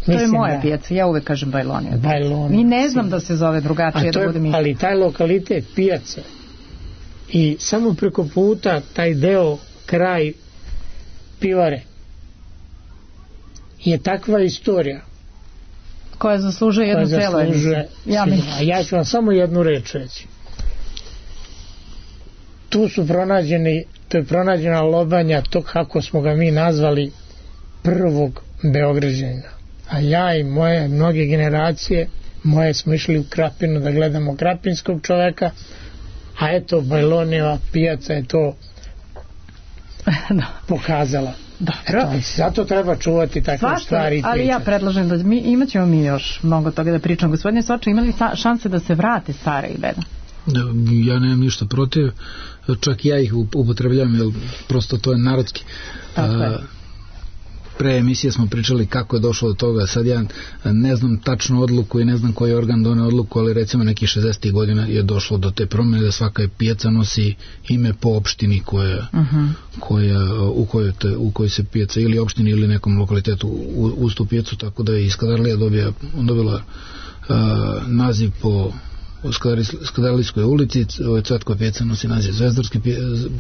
To Mislim, je moja da, pijaca, ja uvek kažem Bajlonija. Bajlonija. I ne znam da se zove drugačije. Da budem ali taj lokalitet pijace i samo preko puta taj deo, kraj pivare je takva istorija koja zaslužuje jednu celu emisiju. Ja, ja ću vam samo jednu reč reći. Tu su pronađeni, to je pronađena lobanja tog, kako smo ga mi nazvali, prvog Beograđanina. A ja i moje mnoge generacije, moje smo išli u Krapinu da gledamo krapinskog čoveka, a eto Bajlonijeva pijaca je to pokazala. Eto, zato treba čuvati takve Svašta, stvari i ali pričati. Ja predlažem da mi, imat ćemo mi još mnogo toga da pričamo. Gospodine Soče, imali šanse da se vrate stare i beda? Ja nemam ništa protiv, čak ja ih upotrebljam, jer prosto to je narodski. Tako je. Pre emisije smo pričali kako je došlo do toga. Sad ja ne znam tačnu odluku i ne znam koji organ doneo odluku, ali recimo nekih šezdesetih godina je došlo do te promjene da svaka pijaca nosi ime po opštini koja, uh-huh. koja, u, kojoj te, u kojoj se pijaca ili opštini ili nekom lokalitetu uz tu pijacu, tako da je iz Skadarlija dobija, dobila uh, naziv po u Skadarlijskoj ulici. Cvetkova pijaca nosi naziv Zvezdarske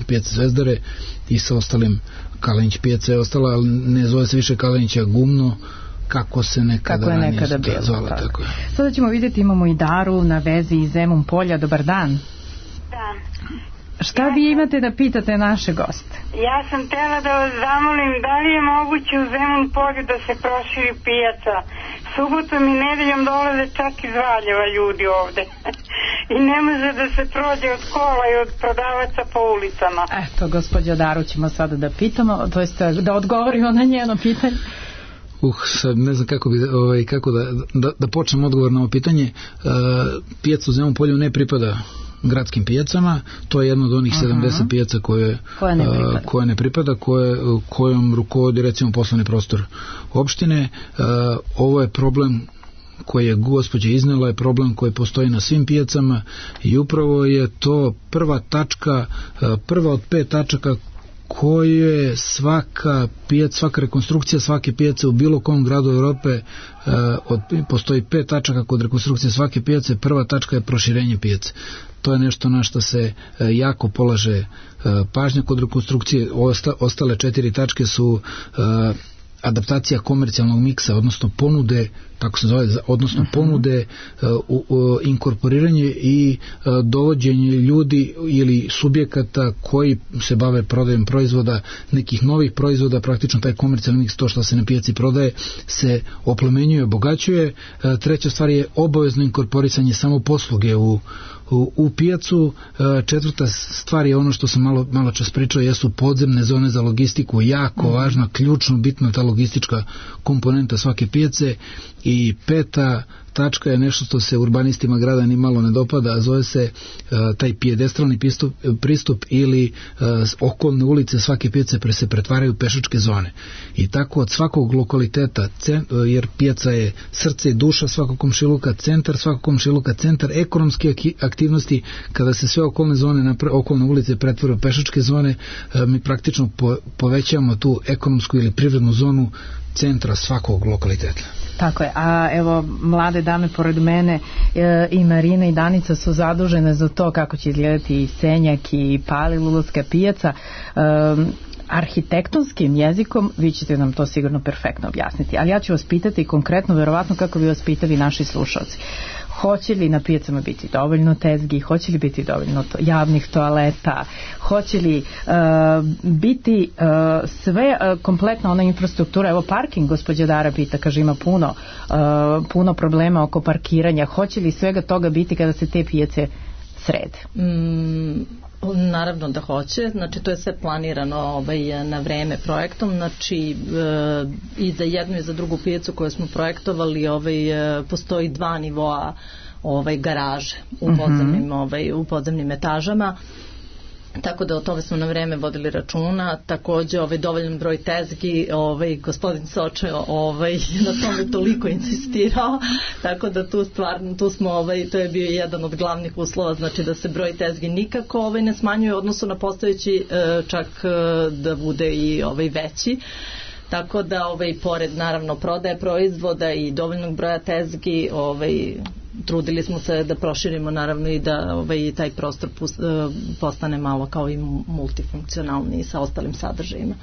pijace Zvezdare i sa ostalim Kalenić pijaca je ostala, ali ne zove se više Kalenića Gumno kako se nekada kako je nekada bilo, zvala, tako. tako je. Sada ćemo vidjeti, imamo i Daru na vezi iz Zemun polja. Dobar dan. Da. Šta ja vi imate da pitate naše goste? Ja sam tela da vas zamolim, da li je moguće u Zemun polju da se proširi pijaca? Subotom i nedeljom dolaze čak iz Valjeva ljudi ovde. I ne može da se prođe od kola i od prodavaca po ulicama. Eto, gospođa Daru ćemo sada da pitamo, to jest da odgovorimo na njeno pitanje. Uh, sad ne znam kako, bi, ovaj, kako da, da, da počnem odgovor na ovo pitanje. Uh, pijaca u Zemun polju ne pripada gradskim pijacama, to je jedno od onih uh-huh. sedamdeset pijaca koje, koje ne pripada, koje ne pripada koje, kojom rukovodi recimo poslovni prostor opštine. Uh, ovo je problem koji je gospođa iznela, je problem koji postoji na svim pijacama i upravo je to prva tačka, prva od pet tačaka koje svaka pijaca, svaka rekonstrukcija svake pijace u bilo kom gradu Evrope, uh, od, postoji pet tačaka kod rekonstrukcije svake pijace, prva tačka je proširenje pijace. To je nešto na što se uh, jako polaže uh, pažnja kod rekonstrukcije. Osta, ostale četiri tačke su uh, adaptacija komercijalnog miksa, odnosno ponude, tako se zove, odnosno uh-huh. ponude, uh, uh, inkorporiranje i uh, dovođenje ljudi ili subjekata koji se bave prodajom proizvoda, nekih novih proizvoda, praktično taj komercijalni miks, to što se na pijaci prodaje, se oplemenjuje, obogaćuje. Uh, treća stvar je obavezno inkorporisanje samo posluge u U, u pijacu. Četvrta stvar je ono što sam malo, malo čas pričao, jesu podzemne zone za logistiku, jako važna, ključno, bitna ta logistička komponenta svake pijace. I peta tačka je nešto što se urbanistima grada ni malo ne dopada, a zove se uh, taj pijedestralni pristup, pristup ili uh, okolne ulice svake pijace pre se pretvaraju pešačke zone. I tako od svakog lokaliteta, cen, uh, jer pijaca je srce i duša svakog komšiluka, centar svakog komšiluka, centar ekonomske aktivnosti, kada se sve okolne zone, napre, okolne ulice pretvaraju pešačke zone, uh, mi praktično po, povećamo tu ekonomsku ili privrednu zonu centra svakog lokaliteta. Tako je, a evo mlade dame pored mene e, i Marina i Danica su zadužene za to kako će izgledati i Senjak i Palilulska pijaca. E, arhitektonskim jezikom vi ćete nam to sigurno perfektno objasniti, ali ja ću vas pitati konkretno, verovatno kako bi vas pitali naši slušalci. Hoće li na pijacama biti dovoljno tezgi, hoće li biti dovoljno to, javnih toaleta, hoće li uh, biti uh, sve uh, kompletna ona infrastruktura, evo parking, gospođa Dara pita, kaže ima puno, uh, puno problema oko parkiranja, hoće li svega toga biti kada se te pijace srede? Mm, naravno da hoće, znači to je sve planirano ovaj, na vreme projektom, znači e, i za jednu i za drugu pijacu koju smo projektovali ovaj, e, postoji dva nivoa ovaj, garaže u podzemnim, ovaj, u podzemnim etažama. Tako da o tome smo na vreme vodili računa. Takođe ovaj dovoljan broj tezgi, ovaj gospodin Soče ovaj na tome toliko insistirao, tako da tu stvarno tu smo ovaj to je bio jedan od glavnih uslova, znači da se broj tezgi nikako ovaj ne smanjuje u odnosu na postojeći, čak da bude i ovaj veći. Tako da ovaj pored naravno prodaje proizvoda i dovoljnog broja tezgi, ovaj trudili smo se da proširimo naravno i da ovaj taj prostor postane malo kao i multifunkcionalni sa ostalim sadržajima.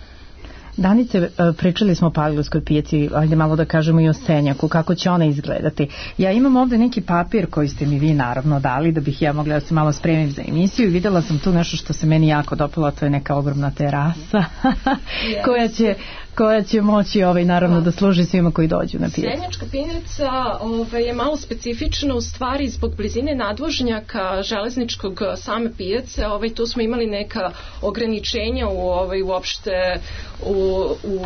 Danice, pričali smo o Palilulskoj pijaci, ajde malo da kažemo i o Senjaku, kako će ona izgledati. Ja imam ovde neki papir koji ste mi vi naravno dali da bih ja mogla da se malo spremim za emisiju i videla sam tu nešto što se meni jako dopalo, to je neka ogromna terasa koja će koja će moći ovaj, naravno da služi svima koji dođu na pijacu. Senjačka pijaca ovaj, je malo specifična u stvari zbog blizine nadvožnjaka železničkog same pijace. Ovaj, tu smo imali neka ograničenja u, ovaj, uopšte u, u,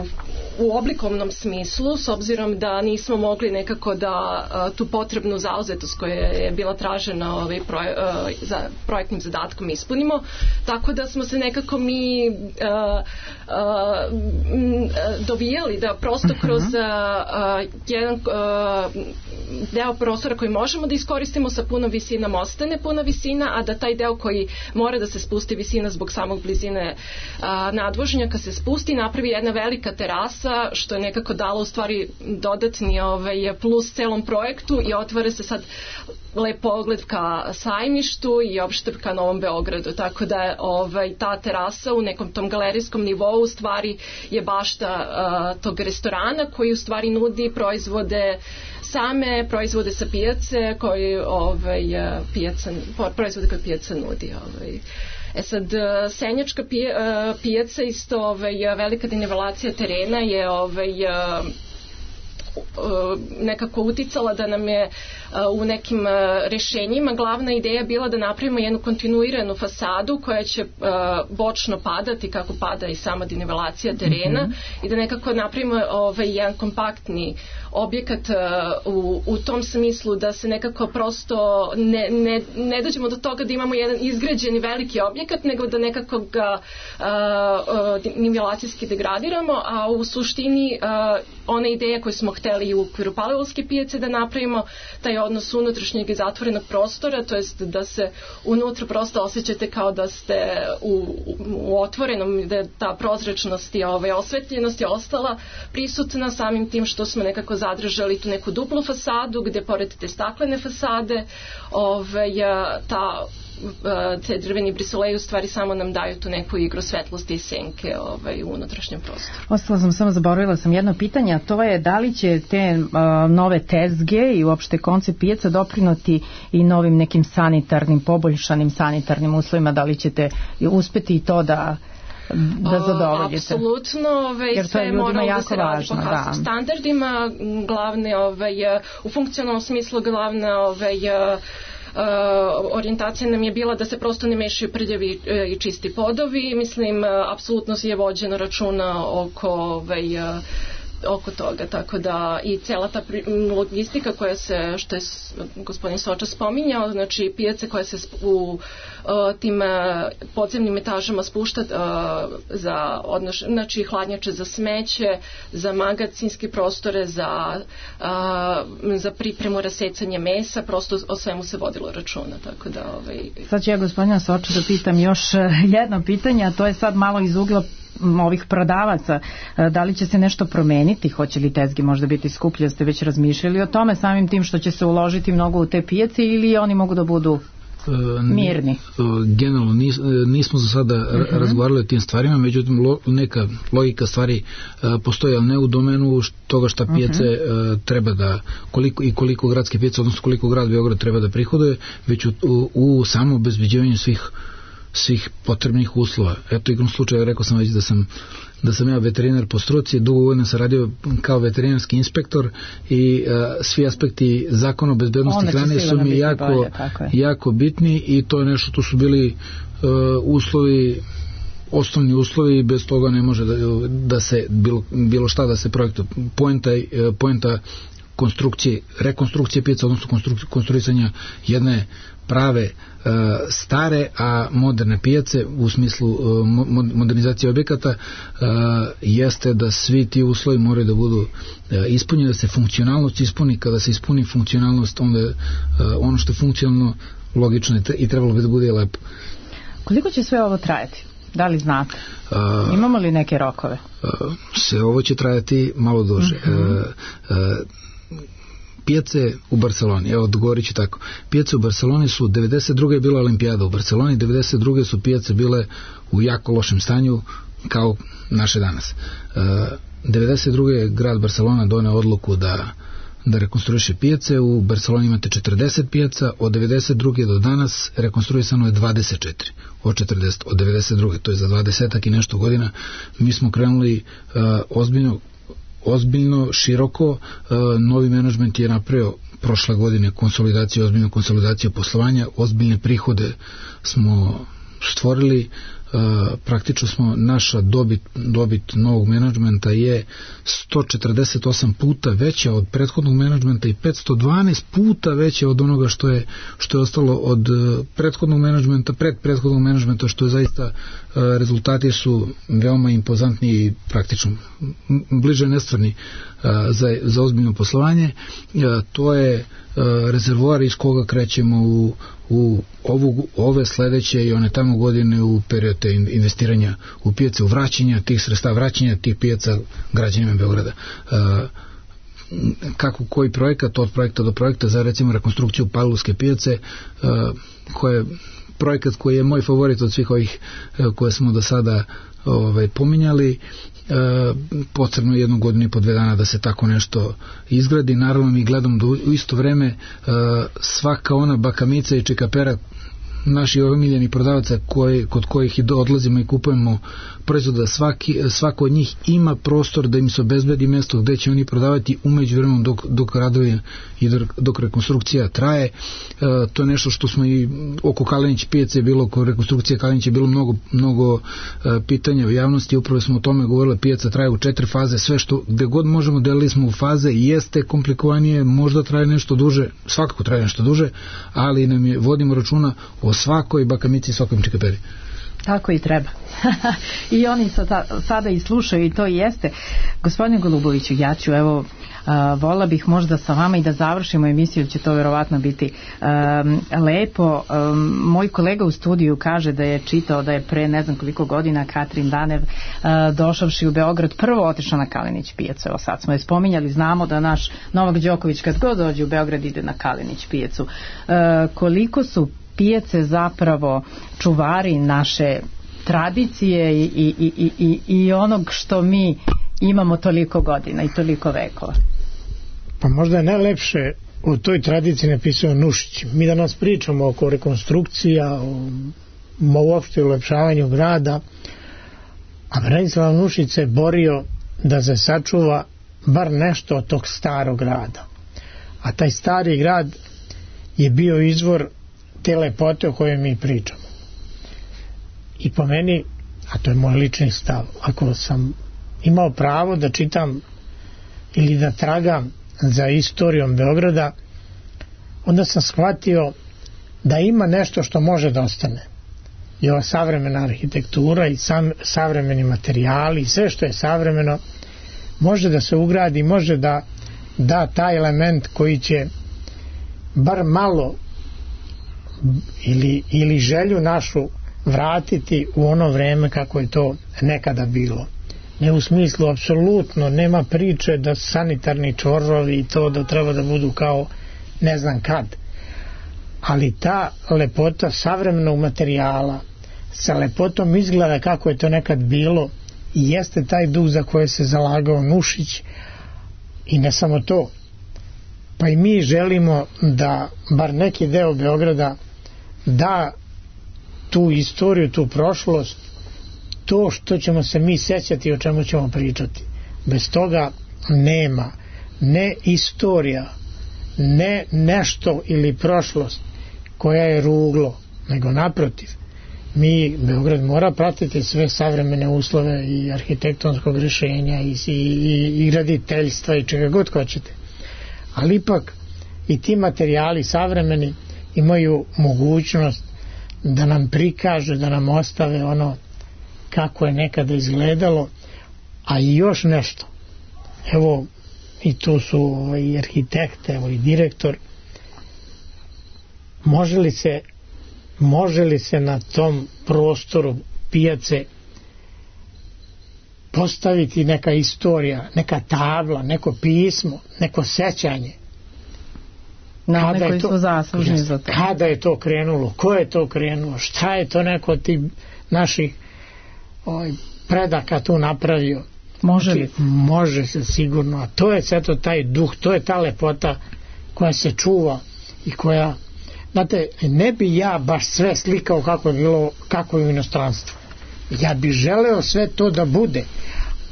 u oblikovnom smislu, s obzirom da nismo mogli nekako da a, tu potrebnu zauzetost koja je bila tražena ovaj, proje, a, za projektnim zadatkom ispunimo. Tako da smo se nekako mi a, a, m, dovijali da prosto kroz uh, uh, jedan uh, deo prostora koji možemo da iskoristimo sa punom visinom ostane puna visina, a da taj deo koji mora da se spusti visina zbog samog blizine uh, nadvožnjaka se spusti, napravi jedna velika terasa, što je nekako dalo u stvari dodatni ovaj, plus celom projektu i otvara se sad lep pogled ka Sajmištu i opšte ka Novom Beogradu, tako da je ovaj, ta terasa u nekom tom galerijskom nivou u stvari je bašta uh, tog restorana koji u stvari nudi proizvode same proizvode sa pijace koji ovaj, pijaca, proizvode koje pijaca nudi. Ovaj. E sad, Senjačka pijaca isto ovaj, velika denivelacija terena je ovaj, nekako uticala da nam je u nekim rešenjima glavna ideja bila da napravimo jednu kontinuiranu fasadu koja će bočno padati kako pada i sama denivelacija terena mm-hmm. i da nekako napravimo ovaj, jedan kompaktni objekat u, u tom smislu da se nekako prosto ne, ne, ne dođemo do toga da imamo jedan izgrađeni veliki objekat, nego da nekako ga nivelacijski degradiramo, a u suštini a, ona ideja koju smo hteli u okviru Palilulske pijace da napravimo taj odnos unutrašnjeg i zatvorenog prostora, to jest da se unutra prosto osjećate kao da ste u, u otvorenom, da ta prozračnost i ovaj, osvetljenost je ostala prisutna samim tim što smo nekako zadržali tu neku duplu fasadu gde pored te staklene fasade ovaj, ta te drveni brisoleji u stvari samo nam daju tu neku igru svetlosti i senke ovaj, u unutrašnjem prostoru. Ostala sam samo, zaboravila sam jedno pitanje, a to je da li će te uh, nove tezge i uopšte koncept pijaca doprinuti i novim nekim sanitarnim, poboljšanim sanitarnim uslovima, da li ćete uspeti i to da da zadovoljite. Apsolutno, ovaj, sve mora da se radi po HACCP standardima, glavne, ovaj, u funkcionalnom smislu glavna ovaj, Uh, orijentacija nam je bila da se prosto ne mešaju prljavi uh, i čisti podovi. Mislim, uh, apsolutno je vođeno računa oko ovaj, uh, oko toga, tako da i cela ta logistika koja se, što je gospodin Soča spominjao, znači pijace koja se u uh, tim uh, podzemnim etažama spušta uh, za odnoš, znači hladnjače za smeće, za magacinske prostore, za, uh, za pripremu rasecanja mesa, prosto o svemu se vodilo računa, tako da ovaj... Sad ću ja gospodina Soča da pitam još jedno pitanje, a to je sad malo iz ugla ovih prodavaca, da li će se nešto promeniti, hoće li tezge možda biti skuplje, ste već razmišljali o tome samim tim što će se uložiti mnogo u te pijace ili oni mogu da budu mirni? Generalno nis, nismo za sada uh-huh. razgovarali o tim stvarima, međutim lo, neka logika stvari uh, postoji, ali ne u domenu toga šta pijace uh-huh. uh, treba da, koliko i koliko gradske pijace, odnosno koliko grad Beograd treba da prihoduje, već u, u, u samo obezbeđivanju svih svih potrebnih uslova. Eto, igrom slučaja rekao sam već da sam da sam ja veterinar po struci, dugo godina sam radio kao veterinarski inspektor i uh, svi aspekti zakona o bezbednosti hrane su mi jako, bolje, jako bitni i to je nešto, tu su bili uh, uslovi, osnovni uslovi, bez toga ne može da, da se bilo, bilo šta da se projektuje. Poenta, poenta konstrukcije, rekonstrukcije pijaca, odnosno konstruisanja jedne prave e, stare, a moderne pijace u smislu e, modernizacije objekata e, jeste da svi ti uslovi moraju da budu e, ispunjeni, da se funkcionalnost ispuni. Kada se ispuni funkcionalnost, onda e, ono što je funkcionalno logično je i trebalo bi da bude lepo. Koliko će sve ovo trajati? Da li znate? A, imamo li neke rokove? A, sve ovo će trajati malo duže. Uh-huh. a, a, pijace u Barceloni, evo odgovorit ću tako, pijace u Barceloni su, devedeset druge je bila olimpijada u Barceloni, devedeset druge su pijace bile u jako lošem stanju kao naše danas. A, devedeset druge je grad Barcelona doneo odluku da da rekonstruiše pijace. U Barceloni imate četrdeset pijaca, od devedeset druge do danas rekonstruisano je dvadeset četiri od četrdeset, od devedeset druge, to je za dvadesetak i nešto godina. Mi smo krenuli uh, ozbiljno ozbiljno, široko, uh, novi menadžment je napravio prošle godine konsolidaciju, ozbiljnu konsolidaciju poslovanja, ozbiljne prihode smo stvorili. Uh, praktično smo, naša dobit, dobit novog menadžmenta je sto četrdeset osam puta veća od prethodnog menadžmenta i petsto dvanaest puta veća od onoga što je, što je ostalo od uh, prethodnog menadžmenta, pred prethodnog menadžmenta, što je zaista, uh, rezultati su veoma impozantni i praktično bliže nestvarni uh, za, za ozbiljno poslovanje. Uh, to je uh, rezervoar iz koga krećemo u u ovu, ove sledeće i one tamo godine u period investiranja u pijace, u vraćanja tih sredstava, vraćanja tih pijaca građanima Beograda. Uh, kako koji projekat, od projekta do projekta, za recimo rekonstrukciju Pavlovske pijace, uh, koja je projekat koji je moj favorit od svih ovih uh, koje smo do sada ovaj, pominjali. E, potrebno je jednu godinu i po dve dana da se tako nešto izgradi. Naravno mi gledamo da u isto vreme e, svaka ona bakamica i čekapera naši omiljeni prodavaca koji, kod kojih i odlazimo i kupujemo proizvoda, svaki, svako od njih ima prostor da im se obezbedi mesto gde će oni prodavati umeđu vremenom dok, dok radovi i dok, dok rekonstrukcija traje. E, to je nešto što smo i oko Kalenić pijace bilo, oko rekonstrukcije Kalenić je bilo mnogo, mnogo e, pitanja u javnosti, upravo smo o tome govorili, pijaca traje u četiri faze, sve što gde god možemo delili smo u faze, jeste komplikovanije, možda traje nešto duže, svakako traje nešto duže, ali nam je, vodimo računa o svakoj bakamici i svakom čekaperi. Tako i treba. I oni sada, sada i slušaju i to i jeste. Gospodine Goluboviću, ja ću evo Uh, vola bih možda sa vama i da završimo emisiju, će to verovatno biti um, lepo. Um, moj kolega u studiju kaže da je čitao da je pre ne znam koliko godina Katrin Danev uh, došavši u Beograd prvo otišla na Kalenić pijacu. Evo sad smo je spominjali, znamo da naš Novak Đoković kad god dođe u Beograd ide na Kalenić pijacu. Uh, koliko su pijace zapravo čuvari naše tradicije i, i, i, i, i onog što mi imamo toliko godina i toliko vekova? Pa možda je najlepše o toj tradiciji napisao Nušić. Mi danas pričamo oko rekonstrukcija, o, o uopšte ulepšavanju grada, a Branislav Nušić se borio da se sačuva bar nešto od tog starog grada. A taj stari grad je bio izvor te lepote o kojoj mi pričamo. I po meni, a to je moj lični stav, ako sam imao pravo da čitam ili da tragam za istorijom Beograda, onda sam shvatio da ima nešto što može da ostane. I ova savremena arhitektura i sam, savremeni materijali i sve što je savremeno može da se ugradi, može da da taj element koji će bar malo ili, ili želju našu vratiti u ono vreme kako je to nekada bilo. Ne u smislu, apsolutno nema priče da sanitarni čvorovi i to da treba da budu kao ne znam kad, ali ta lepota savremenog materijala sa lepotom izgleda kako je to nekad bilo i jeste taj duh za koje se zalagao Nušić. I ne samo to, pa i mi želimo da bar neki deo Beograda da tu istoriju, tu prošlost, to što ćemo se mi sećati, o čemu ćemo pričati. Bez toga nema ne istorija, ne nešto ili prošlost koja je ruglo, nego naprotiv. Mi, Beograd mora pratiti sve savremene uslove i arhitektonskog rješenja i, i, i graditeljstva i čega god hoćete. Ali ipak i ti materijali savremeni imaju mogućnost da nam prikažu, da nam ostave ono kako je nekada izgledalo, a i još nešto. Evo, i tu su i arhitekte, evo i direktor. Može li se može li se na tom prostoru pijace postaviti neka istorija, neka tabla, neko pismo, neko sećanje? Na one koji su zaslužni za to. Kada je to krenulo? Ko je to krenulo? Šta je to neko od tih naših ovaj, predaka tu napravio? Može li? Može se sigurno. A to je sve to taj duh, to je ta lepota koja se čuva i koja, znate, ne bi ja baš sve slikao kako je bilo, kako je u inostranstvu. Ja bi želeo sve to da bude,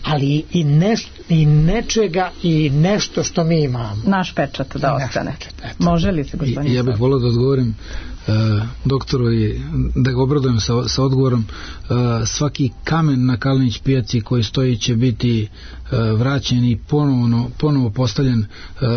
ali i, neš, i nečega i nešto što mi imamo. Naš pečat da ostane. Pečat, može li se, gospodin? Ja bih volio da odgovorim uh, doktoru i da ga obradujem sa, sa odgovorom. Uh, svaki kamen na Kalinić pijaci koji stoji će biti uh, vraćen i ponovno, ponovo postavljen uh,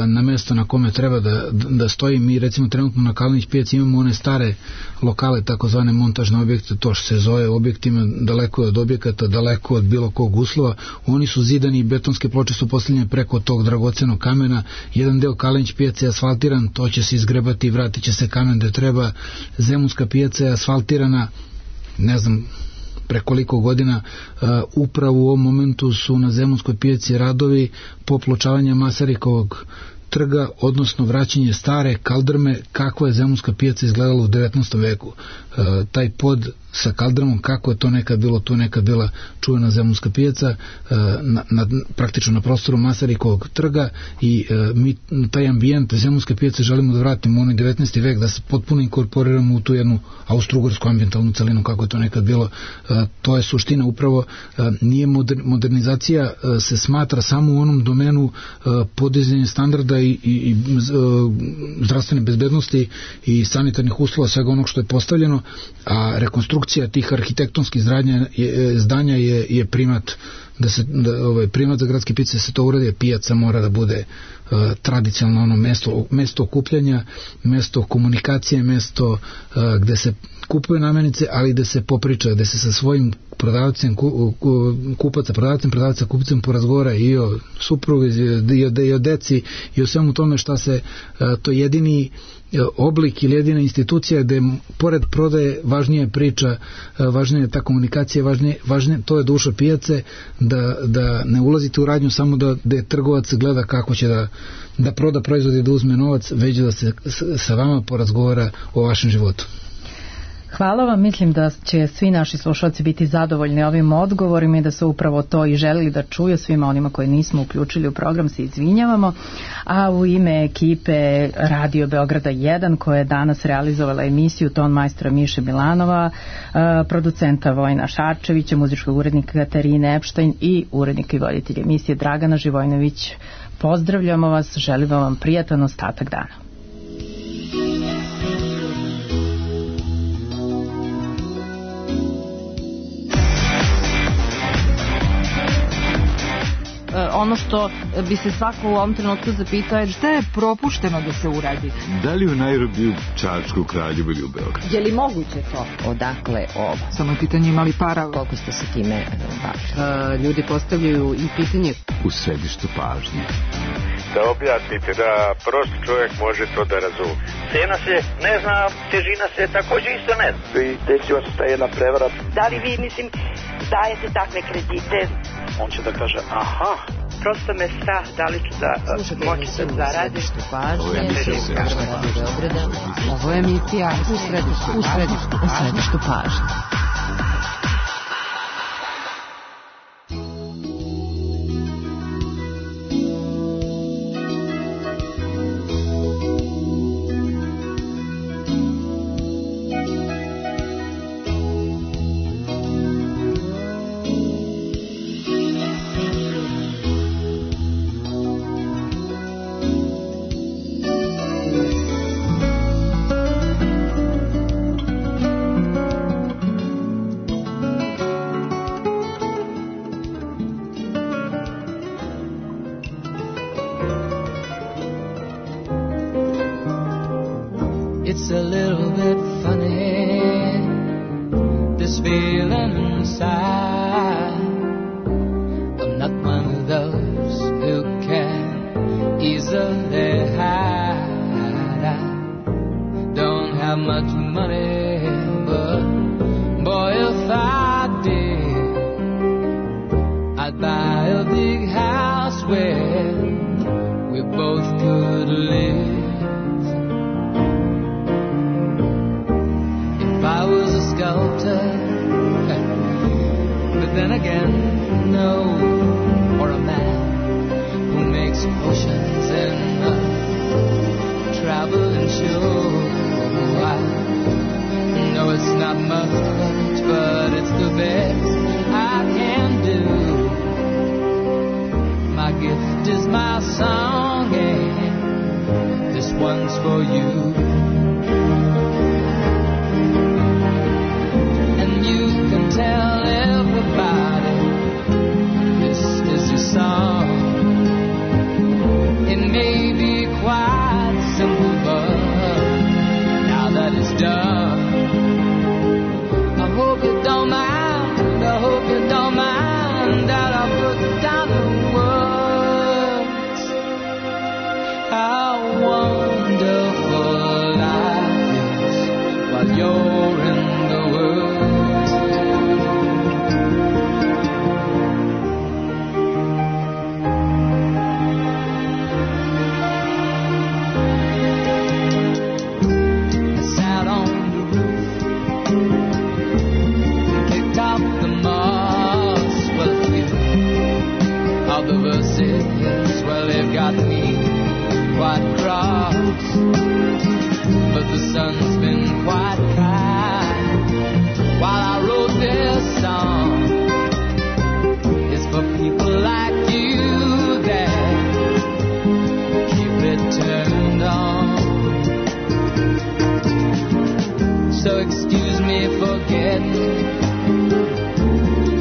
na mjesto na kome treba da, da stoji. Mi recimo trenutno na Kalinić pijaci imamo one stare lokale, takozvane montažne objekte, to što se zove objektima, daleko od objekata, daleko od bilo kog uslova. Oni su zidani i betonske ploče su postavljene preko tog dragocenog kamena. Jedan deo Kalinić pijace je asfaltiran, to će se izgrebati i vratit će se kamen gde treba. Zemunska pijaca je asfaltirana, ne znam prekoliko godina. Uh, upravo u ovom momentu su na Zemunskoj pijaci radovi popločavanja Masarikovog trga, odnosno vraćanje stare kaldrme kako je Zemunska pijaca izgledala u devetnaestom veku. E, taj pod sa kaldrmom, kako je to nekad bilo, tu nekad bila čuvena Zemunska pijaca, e, na, na, praktično na prostoru Masarikovog trga i e, mi taj ambijent Zemunske pijace želimo da vratimo u onaj devetnaesti vek, da se potpuno inkorporiramo u tu jednu austrougarsku ambijentalnu celinu kako je to nekad bilo. E, to je suština upravo. E, nije moder, modernizacija e, se smatra samo u onom domenu e, podizanja standarda i, i, i zdravstvene bezbednosti i sanitarnih uslova, svega onog što je postavljeno, a rekonstrukcija tih arhitektonskih zdanja je, zdanja je, je primat da se da, ovaj, primat za gradske pijace da se to uradi. Pijaca mora da bude uh, tradicionalno ono mesto, mesto okupljanja, mesto komunikacije, mesto uh, gde se kupuje namirnice, ali gde se popriča, gde se sa svojim prodavcem, ku, ku, kupaca, prodavcem, prodavca, kupcem porazgovara i o suprugu, i o, i o deci, i o svemu tome šta se, uh, to jedini oblik ili jedina institucija gde pored prodaje važnija je priča, važnija je ta komunikacija, važnije, važnije, to je duša pijace, da, da ne ulazite u radnju samo da, da trgovac gleda kako će da, da proda proizvod i da uzme novac, već da se sa vama porazgovara o vašem životu. Hvala vam, mislim da će svi naši slušalci biti zadovoljni ovim odgovorima i da su upravo to i želeli da čuju. Svima onima koji nismo uključili u program se izvinjavamo, a u ime ekipe Radio Beograda jedan koja je danas realizovala emisiju, ton majstora Miše Milanova, producenta Vojna Šarčevića, muzičkog urednika Katarine Epštajn i urednika i voditelja emisije Dragana Živojnović, pozdravljamo vas, želimo vam prijatan ostatak dana. Ono što bi se svako u ovom trenutku zapitao je šta je propušteno da se uradi. Da li u Nairobiju, Čačku, Kraljevu ili u Beogradu? Je li moguće to? Odakle ovo? Samo je pitanje imali para. Koliko ste se time bavili? Ljudi postavljaju i pitanje. U središtu pažnje. Da objasnite, da prost čovjek može to da razume. Cena se ne zna, težina se također isto ne zna. I desila se ta jedna prevara. Da li vi, mislim, dajete takve kredite? On će da kaže, aha. Prosto me strah, da li ću da moći da zaradim. Ovo je emisija u središtu, u središtu, u središtu pažnje. It's a little bit funny, this feeling inside. I'm not one of those who can easily hide. I don't have much money, but boy, if I did, I'd buy a big house where we both could live. I was a sculptor, but then again, no, or a man who makes potions in a traveling show. I know it's not much, but it's the best I can do. My gift is my song, and this one's for you. Tell everybody this is your song. It may be quite simple, but now that it's done, I hope you don't mind, I hope you don't mind that I put down the words. How wonderful life is while you're in the world. The verses, well, they've got me quite cross, but the sun's been quite kind while I wrote this song. It's for people like you that keep it turned on. So excuse me for getting,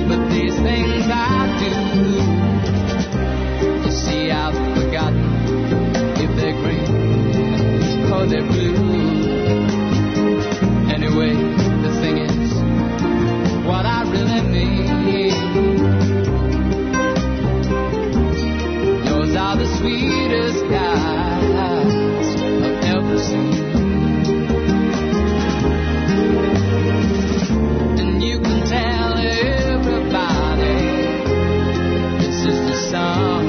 but these things I do, see, I've forgotten if they're green or they're blue. Anyway, the thing is, what I really mean, yours are the sweetest eyes I've ever seen. And you can tell everybody this is the song.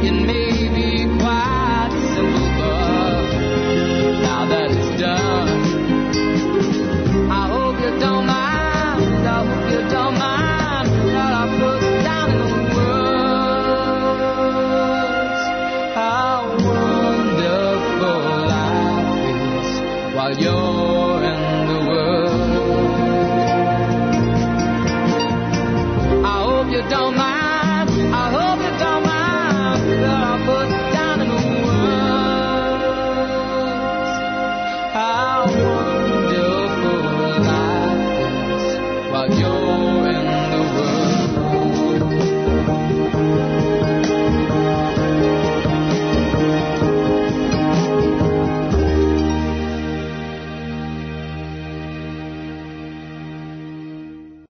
It may be quite simple, but now that it's done,